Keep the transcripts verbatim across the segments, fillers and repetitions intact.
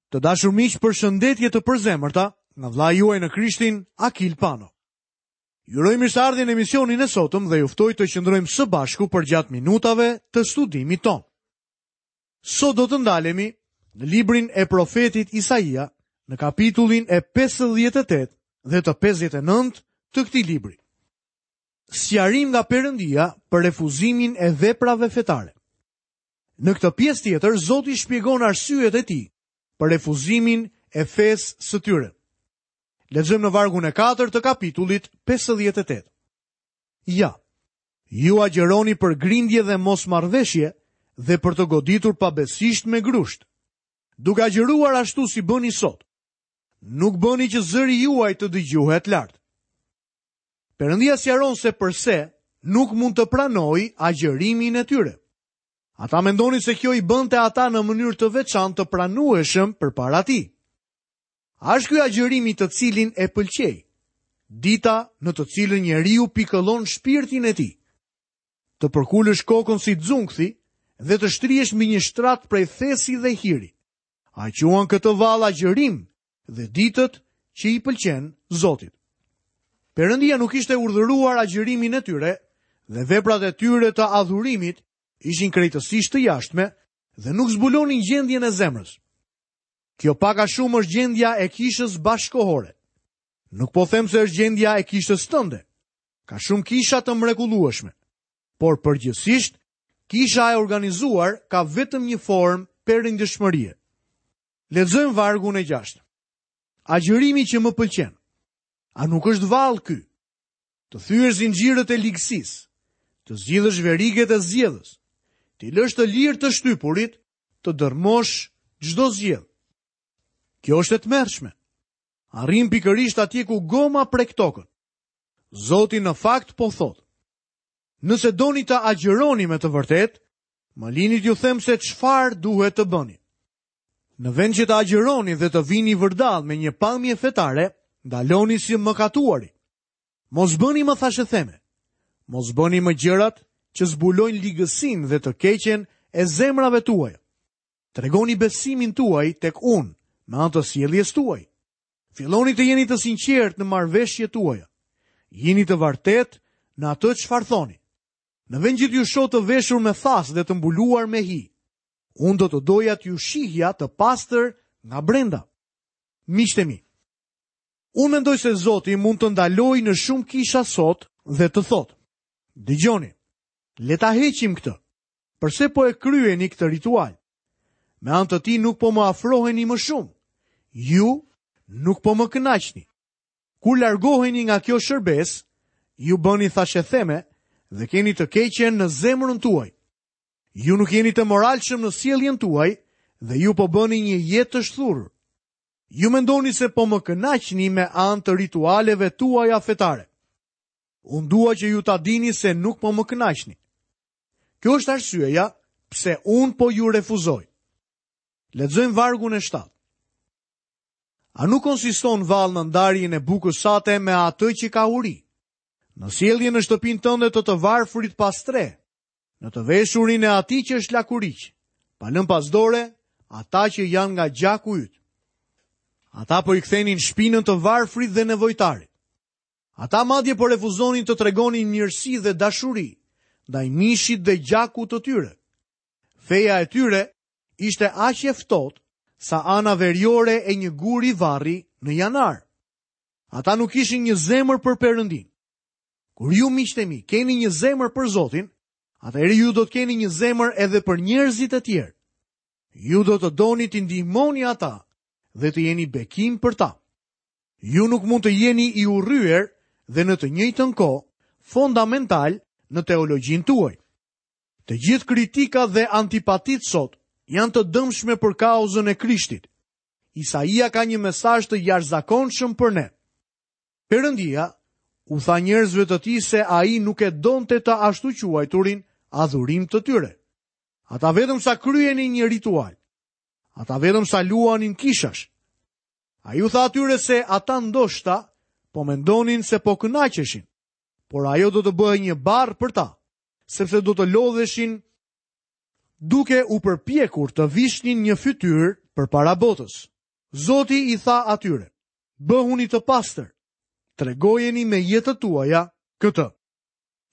Të dashur miq, përshëndetje të përzemërta nga vëllai juaj në Krishtin, Akil Pano. Ju uroj mirëseardhjen në emisionin e sotëm dhe ju ftoj të qëndrojmë së bashku përgjatë minutave të studimit tonë. Sot do të ndalemi në librin e profetit Isaia, në kapitullin e pesëdhjetë e tetë dhe të pesëdhjetë e nëntë të këtij libri. Sqarim nga Perëndia për refuzimin e veprave fetare. Në këtë pjesë tjetër, Zoti shpjegon arsyet e tij për refuzimin e fesë së tyre. Lexojmë në vargun e katërt të kapitullit pesëdhjetë e tetë. Ja, ju agjëroni për grindje dhe mosmarrveshje dhe për të goditur pabesisht me grusht, duke agjëruar ashtu si bëni sot. Nuk bëni që zëri juaj të dëgjohet lart. Perëndia sqaron se përse nuk mund të pranojë agjërimin e tyre. Ata mendonin se kjo i bënte ata në mënyrë të veçantë të pranueshëm përpara tij. A është ky agjërimi të cilin e pëlqej? Dita në të cilën njeriu pikëllon shpirtin e tij. Të përkulësh kokën si xhunkthi dhe të shtrihesh mbi një shtrat prej thesi dhe hiri. A quan këtë vallë agjërim dhe ditët që i pëlqen Zotit? Perëndia nuk ishte urdhëruar agjërimin e tyre dhe veprat e tyre të adhurimit ishin krejtësisht të jashtme dhe nuk zbulonin gjendjen e zemrës. Kjo pak a shumë është gjendja e kishës bashkohore. Nuk po them se është gjendja e kishës tënde. Ka shumë kisha të mrekullueshme, por përgjithsisht kisha e organizuar ka vetëm një formë perëndishmërie. Lexojmë vargun e gjashtë. Agjërimi që më pëlqen. A nuk është vallë ky? Të thyesh zinxhirët e ligësisë, të zgjidhësh veriget e zgjedhës, t'i lësh të lirë të shtypurit, të dërmosh çdo zgjedh. Kjo është e tmerrshme. Arrim pikërisht atje ku goma prek tokën. Zoti në fakt po thotë: Nëse doni të agjëroni me të vërtetë, më lini t'ju them se çfarë duhet të bëni. Në vend që të agjëroni dhe të vini vërdall me një pamje fetare, ndaloni si mëkatuari. Mos bëni më thashetheme. Mos bëni më gjërat që zbulojnë ligësinë dhe të keqen e zemrave tuaja. Tregoni besimin tuaj tek unë me anë të sjelljes tuaj. Filloni të jeni të sinqertë në marrëveshjet tuaja. Jeni të vërtetë në atë çfarë thoni. Në vend që t'ju shoh të veshur me thas dhe të mbuluar me hi, unë do të doja t'ju shihja të pastër nga brenda. Miqtë e mi, unë mendoj se Zoti mund të ndalojë në shumë kisha sot dhe të thotë: Dëgjoni, le ta heqim këtë. Përse po e kryeni këtë ritual? Me anë të tij nuk po më afroheni më shumë. Ju nuk po më kënaqni. Kur largoheni nga kjo shërbesë, ju bëni thashetheme dhe keni të keqen në zemrën tuaj. Ju nuk jeni të moralshëm në sjelljen tuaj dhe ju po bëni një jetë të shthurur. Ju mendoni se po më kënaqni me anë të ritualeve tuaja fetare. Unë dua që ju ta dini se nuk po më kënaqni. Kjo është arsyeja pse unë po ju refuzoj. Lexojmë vargun e shtatë. A nuk konsiston vallë në ndarjen e bukës sate me atë që ka uri? Në sjelljen në shtëpinë tënde të të varfrit pas tre, në të veshurin e atij që është lakuriq, pa lënë pas dore ata që janë nga gjaku yt. Ata po i kthenin shpinën të varfrit dhe nevojtarit. Ata madje po refuzonin të tregonin mirësi dhe dashuri ndaj mishit dhe gjakut të tyre. Feja e tyre ishte aq e ftohtë sa ana veriore e një guri varri në janar. Ata nuk kishin një zemër për Perëndin. Kur ju miqtë e mi keni një zemër për Zotin, atëherë ju do të keni një zemër edhe për njerëzit e tjerë. Ju do të doni t'i ndihmoni ata dhe të jeni bekim për ta. Ju nuk mund të jeni i urryer dhe në të njëjtën kohë fondamental në teologjinë tuaj. Të gjithë kritikat dhe antipatitë sot janë të dëmshme për kauzën e Krishtit. Isaia ka një mesazh të jashtëzakonshëm për ne. Perëndia u tha njerëzve të tij se ai nuk e donte të ashtu quajturin adhurim të tyre. Ata vetëm sa kryenin një ritual. Ata vetëm sa luanin kishash. Ai u tha atyre se ata ndoshta po mendonin se po kënaqeshin, por ajo do të bëhej një barrë për ta, sepse do të lodheshin duke u përpjekur të vishnin një fytyrë përpara botës. Zoti i tha atyre, bëhuni të pastër, tregojeni me jetët tuaja këtë.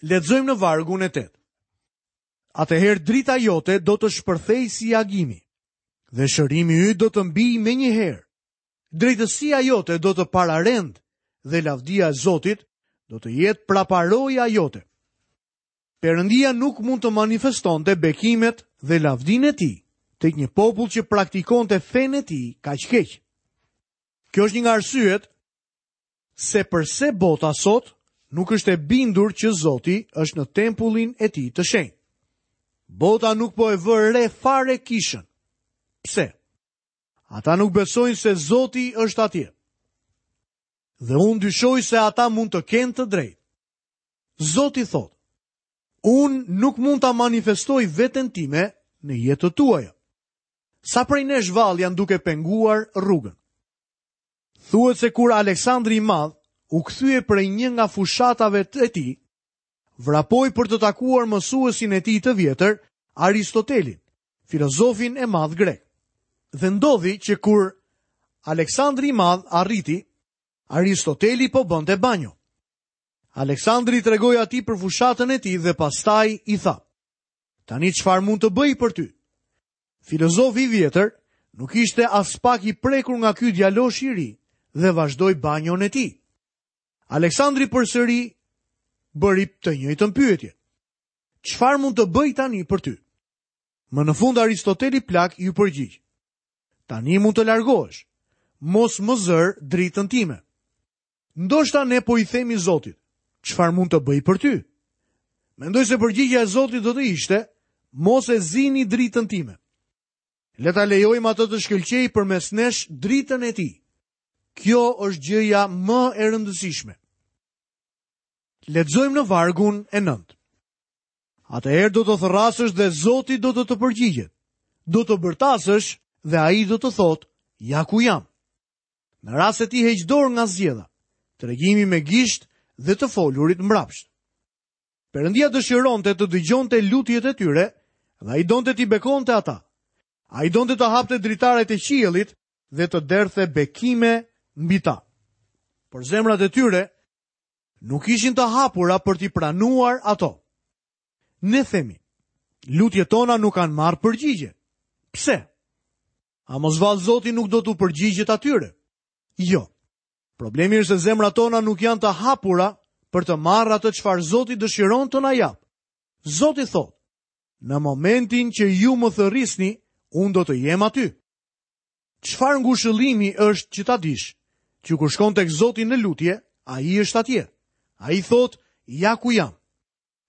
Lexojmë në vargun e tetë. Atëherë drita jote do të shpërthej si agimi, dhe shërimi yt do të mbijë menjëherë. Drejtësia jote do të pararend dhe lavdia e Zotit do të jetë praparoja jote. Perëndia nuk mund të manifestonte bekimet dhe lavdinë e tij tek një popull që praktikonte fenë e tij kaq keq. Kjo është një nga arsyet se përse bota sot nuk është e bindur që Zoti është në tempullin e tij të shenjtë. Bota nuk po e vë re fare kishën. Pse? Ata nuk besojnë se Zoti është atje. Dhe unë dyshoj se ata mund të kenë të drejtë. Zoti thotë, unë nuk mund ta manifestoj veten time në jetët tuaja. Sa prej nesh vallë janë duke penguar rrugën? Thuhet se kur Aleksandri i Madh u kthye prej një nga fushatave të tij, vrapoi për të takuar mësuesin e tij të vjetër, Aristotelin, filozofin e madh grek. Dhe ndodhi që kur Aleksandri i Madh arriti, Aristoteli po bënte banjo. Aleksandri i tregoi atij për fushatën e tij dhe pastaj i tha: Tani çfarë mund të bëj për ty? Filozofi i vjetër nuk ishte as pak i prekur nga ky djalosh i ri dhe vazhdoi banjon e tij. Aleksandri përsëri bëri të njëjtën pyetje. Çfarë mund të bëj tani për ty? Më në fund Aristoteli plak iu përgjigj. Tani mund të largohesh. Mos më zër dritën time. Ndoshta ne po i themi Zotit, çfarë mund të bëj për ty? Mendoj se përgjigjja e Zotit do të ishte, mos e zini dritën time. Le ta lejojmë atë të shkëlqejë përmes nesh dritën e tij. Kjo është gjëja më e rëndësishme. Lexojmë në vargun e nëntë. Atëherë do të thërrasësh dhe Zoti do të të përgjigjet. Do të bërtasësh dhe ai do të thotë, ja ku jam. Në rast se ti heq dorë nga zgjedha, tregimi me gisht dhe të folurit mbrapsht. Perëndia dëshironte të dëgjonte lutjet e tyre dhe ai donte t'i bekonte ata. Ai donte të hapte dritaret e qiellit dhe të derdhte bekime mbi ta. Por zemrat e tyre nuk ishin të hapura për t'i pranuar ato. Ne themi, lutjet tona nuk kanë marrë përgjigje. Pse? A mos vallë Zoti nuk do t'u përgjigjet atyre? Jo. Problemi është se zemrat tona nuk janë të hapura për të marrë atë çfarë Zoti dëshiron të na japë. Zoti thotë, në momentin që ju më thërrisni, unë do të jem aty. Çfarë ngushëllimi është që ta dish, që kur shkon tek Zoti në lutje, ai është atje. Ai thotë, ja ku jam.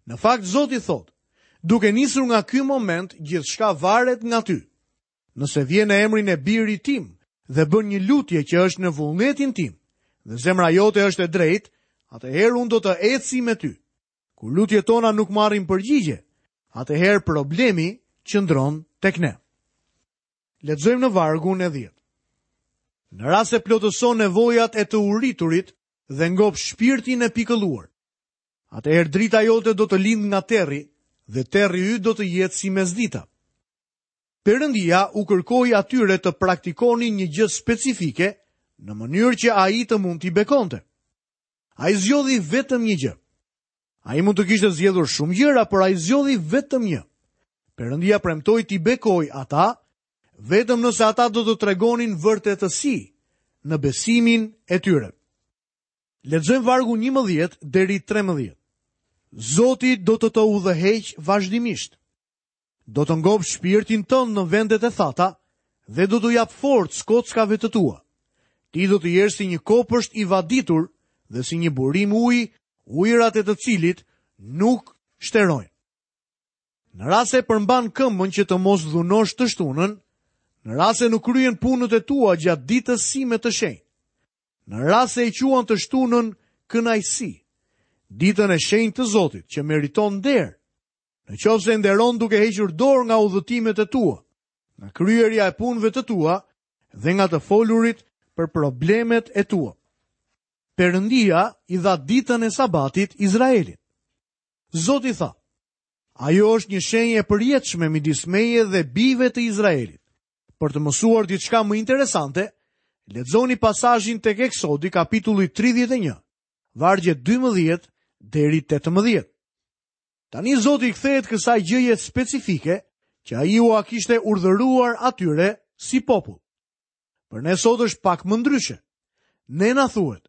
Në fakt Zoti thotë, duke nisur nga ky moment, gjithçka varet nga ty. Nëse vjen në emrin e birit tim dhe bën një lutje që është në vullnetin tim, dhe zemra jote është e drejtë, atëherë unë do të eci me ty. Kur lutjet tona nuk marrin përgjigje, atëherë problemi qëndron tek ne. Lexojmë në vargun e dhjetë. Në rast se plotëson nevojat e të uriturit dhe ngop shpirtin e pikëlluar, atëherë drita jote do të lind nga terri dhe terri yt do të jetë si mesdita. Perëndia u kërkoi atyre të praktikonin një gjë specifike në mënyrë që ai të mund t'i bekonte. Ai zgjodhi vetëm një gjë. Ai mund të kishte zgjedhur shumë gjëra, por ai zgjodhi vetëm një. Perëndia premtoi t'i bekoj ata vetëm nëse ata do të tregonin vërtetësi në besimin e tyre. Lexojmë vargun njëmbëdhjetë deri trembëdhjetë. Zoti do të të udhëheq vazhdimisht. Do të ngop shpirtin tënd në vendet e thata dhe do t'u jap forcë kockave të tua. Ti do të jesh si një kopësht i vaditur dhe si një burim uji, ujërat e të cilit nuk shterojnë. Në rast se përmban këmbën që të mos dhunosh të shtunën, në rast se nuk kryen punët e tua gjatë ditës sime të shenjtë, në rast se e quan të shtunën kënaqësi, ditën e shenjtë të Zotit që meriton nder, në qoftë se nderon duke hequr dorë nga udhëtimet e tua, nga kryerja e punëve të tua dhe nga të folurit për problemet e tua. Perëndia i dha ditën e Sabatit Izraelit. Zoti tha, ajo është një shenjë e përjetshme midis meje dhe bijve të Izraelit. Për të mësuar diçka më interesante, Lexoni pasazhin tek Eksodi kapitulli tridhjetë e një, vargjet dymbëdhjetë deri tetëmbëdhjetë. Tani Zoti i kthehet kësaj gjëje specifike që ai ua kishte urdhëruar atyre si popull. Për ne sot është pak më ndryshe. Ne na thuhet: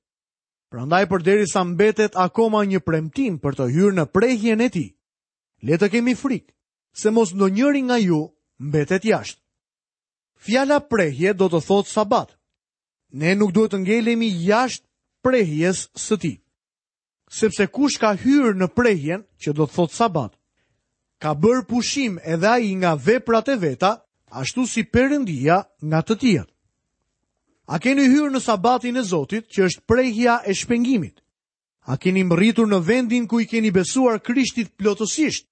prandaj përderisa mbetet akoma një premtim për të hyrë në prehjen e tij, le të kemi frikë se mos ndonjëri nga ju mbetet jashtë. Fjala prehje do të thotë sabat. Ne nuk duhet të ngelemi jashtë prehjes së tij. Sepse kush ka hyrë në prehjen, që do të thotë sabat, ka bërë pushim edhe ai nga veprat e veta, ashtu si Perëndia nga të tijat. A keni hyrë në sabatin e Zotit, që është prehja e shpengimit? A keni mbërritur në vendin ku i keni besuar Krishtit plotësisht?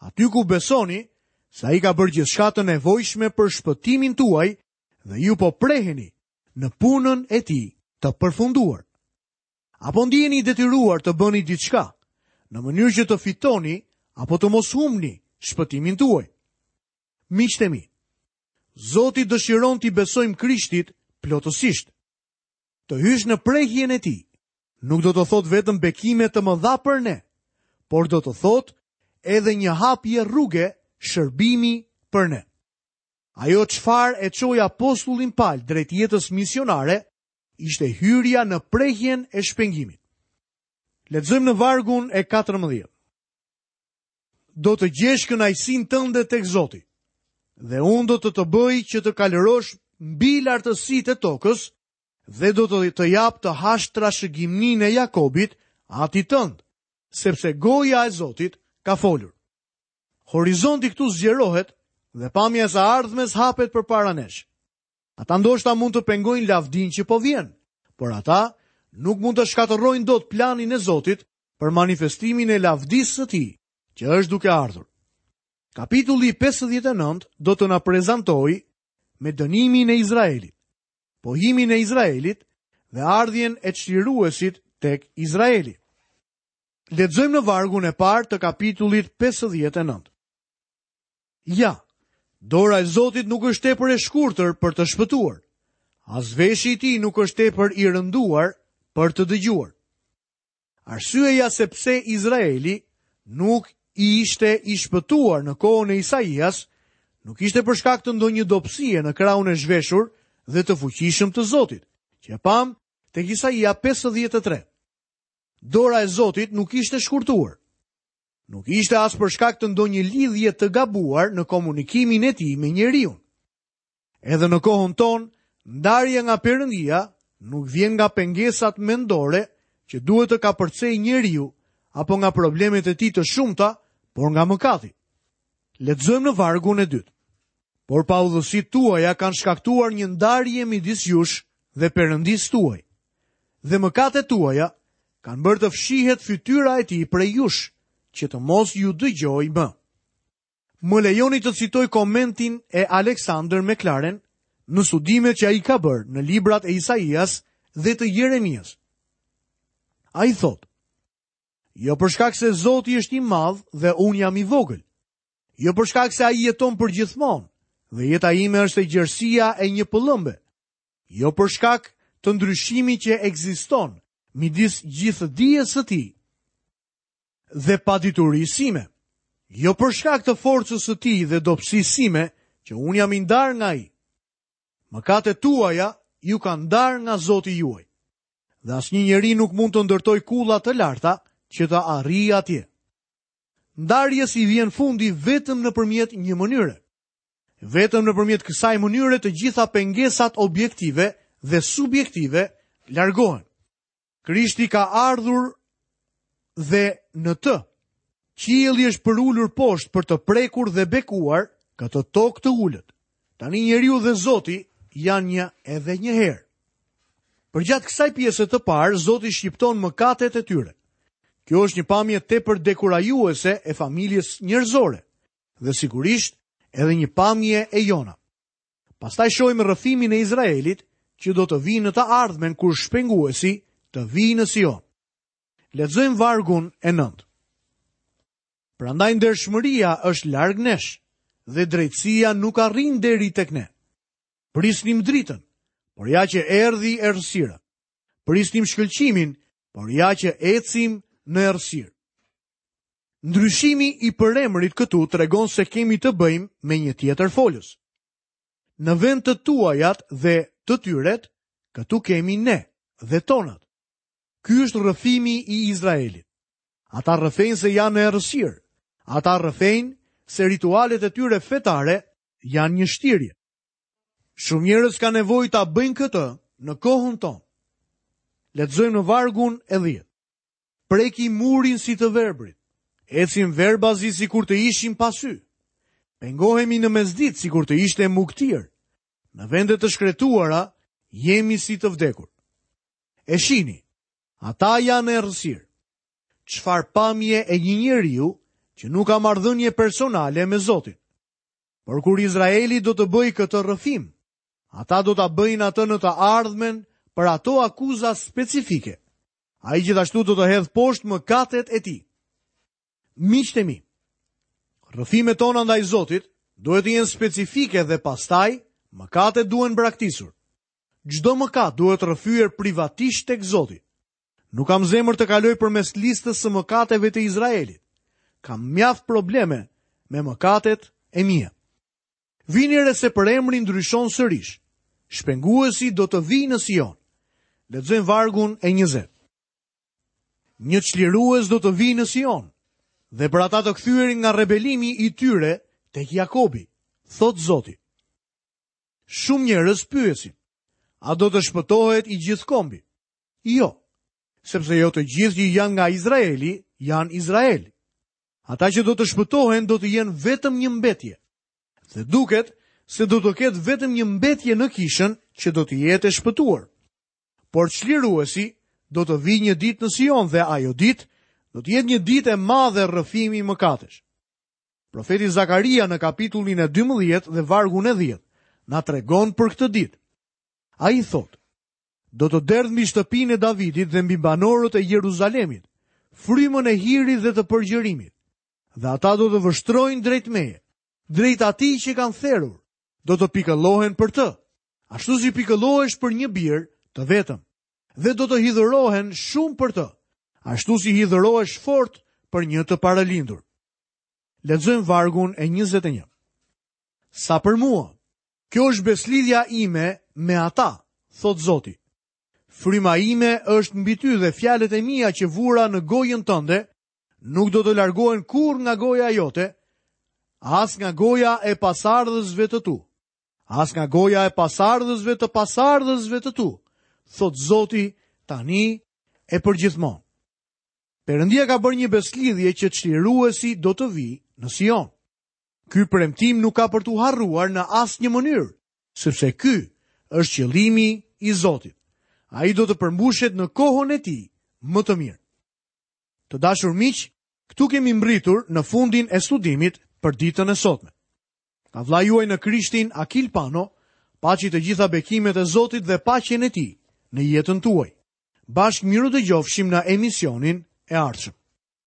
Aty ku besoni se ai ka bërë gjithçka të nevojshme për shpëtimin tuaj dhe ju po preheni në punën e tij të përfunduar. Apo ndiheni i detyruar të bëni diçka në mënyrë që të fitoni apo të mos humbni shpëtimin tuaj? Miqtë e mi, Zoti dëshiron t'i besojmë Krishtit plotësisht. Të hysh në prehjen e tij nuk do të thotë vetëm bekime të mëdha për ne, por do të thotë edhe një hapje rruge shërbimi për ne. Ajo çfarë e çoi apostullin Paul drejt jetës misionare ishte hyrja në prehjen e shpengimit. Lexojmë në vargun e katërmbëdhjetë. Do të gjesh kënaqësinë tënde tek Zoti, dhe unë do të të bëj që të kalërosh mbi lartësitë e tokës dhe do të të jap të hash trashëgiminë e Jakobit, atit tënd, sepse goja e Zotit ka folur. Horizonti këtu zgjerohet dhe pamja e së ardhmes hapet përpara nesh. Ata ndoshta mund të pengojnë lavdinë që po vjen, por ata nuk mund të shkatërrojnë dot planin e Zotit për manifestimin e lavdisë së tij, që është duke ardhur. Kapitulli pesëdhjetë e nëntë do të na prezantojë me dënimin e Izraelit, pohimin e Izraelit dhe ardhjen e çliruesit tek Izraeli. Lexojmë në vargun e parë të kapitullit pesëdhjetë e nëntë. Ja, dora e Zotit nuk është tepër e shkurtër për të shpëtuar, as veshi i tij nuk është tepër i rënduar për të dëgjuar. Arsyeja se pse Izraeli nuk ishte i shpëtuar në kohën e Isaias, nuk ishte për shkak të ndonjë dobësie në krahun e zhveshur dhe të fuqishëm të Zotit, që e pam tek Isaia pesëdhjetë e tre. Dora e Zotit nuk ishte shkurtuar. Nuk ishte as për shkak të ndonjë lidhje të gabuar në komunikimin e tij me njeriun. Edhe në kohën tonë, ndarja nga Perëndia nuk vjen nga pengesat mendore që duhet të kapërcejë njeriu apo nga problemet e tij të shumta, por nga mëkati. Lexojmë në vargun e dytë. Por paudhësitë tuaja kanë shkaktuar një ndarje midis jush dhe Perëndisë tuaj. Dhe mëkatet tuaja kanë bërë të fshihet fytyra e tij prej jush, që të mos ju dëgjoj më. Më lejoni të citoj komentin e Alexander McLaren në studimet që ai ka bërë në librat e Isaias dhe të Jeremias. Ai thotë: Jo për shkak se Zoti është i madh dhe unë jam i vogël. Jo për shkak se ai jeton përgjithmonë dhe jeta ime është e gjerësia e një pëllëmbe. Jo për shkak të ndryshimit që ekziston midis gjithë dijes së tij dhe paditurisë sime. Jo për shkak të forcës së tij dhe dobësisë sime që unë jam i ndarë nga ai. Mëkatet tuaja ju kanë ndarë nga Zoti juaj. Dhe asnjë njeri nuk mund të ndërtojë kulla të larta që të arrijë atje. Ndarjes i vjen fundi vetëm nëpërmjet një mënyre. Vetëm nëpërmjet kësaj mënyre të gjitha pengesat objektive dhe subjektive largohen. Krishti ka ardhur dhe në të qielli është përulur poshtë për të prekur dhe bekuar këtë tokë të ulët. Tani njeriu dhe Zoti janë një edhe një herë. Përgjatë kësaj pjese të parë, Zoti shqipton mëkatet e tyre. Kjo është një pamje tepër dekurajuese e familjes njerëzore dhe sigurisht edhe një pamje e jona. Pastaj shohim rrëfimin e Izraelit që do të vijë në të ardhmen kur shpenguesi të vijë në Sion. Lexojmë vargun e nëntë. Prandaj ndershmëria është larg nesh dhe drejtësia nuk arrin deri tek ne. Prisnim dritën, por ja që erdhi errësira. Prisnim shkëlqimin, por ja që ecim në errësirë. Ndryshimi i përemrit këtu tregon se kemi të bëjmë me një tjetër folës. Në vend të tuajat dhe të tyret, këtu kemi ne dhe tonat. Ky është rrëfimi i Izraelit. Ata rrëfejnë se janë në errësirë. Ata rrëfejnë se ritualet e tyre fetare janë një shtirje. Shumë njerëz kanë nevojë ta bëjnë këtë në kohën tonë. Lexojmë në vargun e dhjetë. Preki murin si të verbrit. Ecim verbazi sikur të ishim pa sy. Pengohemi në mesditë sikur të ishte mugtir. Në vende të shkretuara jemi si të vdekur. E shini, ata janë në errësirë. Çfarë pamje e një njeriu që nuk ka marrëdhënie personale me Zotin. Por kur Izraeli do të bëjë këtë rrëfim, ata do ta bëjnë atë në të ardhmen për ato akuza specifike. Ai gjithashtu do të hedhë poshtë mëkatet e tij. Miqtë e mi, rrëfimet tona ndaj Zotit duhet të jenë specifike dhe pastaj mëkatet duhen braktisur. Çdo mëkat duhet rrëfyer privatisht tek Zoti. Nuk kam zemër të kaloj përmes listës së mëkateve të Izraelit. Kam mjaft probleme me mëkatet e mia. Vini re se për emrin ndryshon sërish. Shpenguesi do të vijë në Sion. Lexojmë vargun e njëzet. Një çlirues do të vijë në Sion, dhe për ata të kthyerin nga rebelimi i tyre tek Jakobi, thot Zoti. Shumë njerëz pyesin, a do të shpëtohet i gjithë kombi? Jo, sepse jo të gjithë që janë nga Izraeli janë Izrael. Ata që do të shpëtohen do të jenë vetëm një mbetje. Dhe duket se do të ketë vetëm një mbetje në kishën që do të jetë e shpëtuar. Por çliruesi do të vijë një ditë në Sion dhe ajo ditë do të jetë një ditë e madhe rrëfimi mëkatesh. Profeti Zakaria në kapitullin e dymbëdhjetë dhe vargun e dhjetë na tregon për këtë ditë. Ai thotë: do të derdh mbi shtëpinë e Davidit dhe mbi banorët e Jeruzalemit, frymën e hirit dhe të përgjërimit, dhe ata do të vështrojnë drejt meje, drejt atij që kanë therur, do të pikëllohen për të, ashtu si pikëllohesh për një bir të vetëm, dhe do të hidhërohen shumë për të, ashtu si hidhërohesh fort për një të paralindur. Lexojmë vargun e njëzet e një. Sa për mua, kjo është beslidhja ime me ata, thot Zoti. Fryma ime është mbi ty dhe fjalët e mia që vura në gojën tënde nuk do të largohen kurrë nga goja jote, as nga goja e pasardhësve të tu, as nga goja e pasardhësve të pasardhësve të tu, thot Zoti tani e përgjithmonë. Perëndia ka bërë një beslidhje që çliruesi do të vijë në Sion. Ky premtim nuk ka për t'u harruar në asnjë mënyrë, sepse ky është qëllimi i Zotit. Ai do të përmbushet në kohën e tij më të mirë. Të dashur miq, këtu kemi mbritur në fundin e studimit për ditën e sotme. Nga vllai juaj në Krishtin, Akil Pano, paçi të gjitha bekimet e Zotit dhe paqen e tij në jetën tuaj. Bashkë miru dëgjofshim në emisionin e ardhshëm.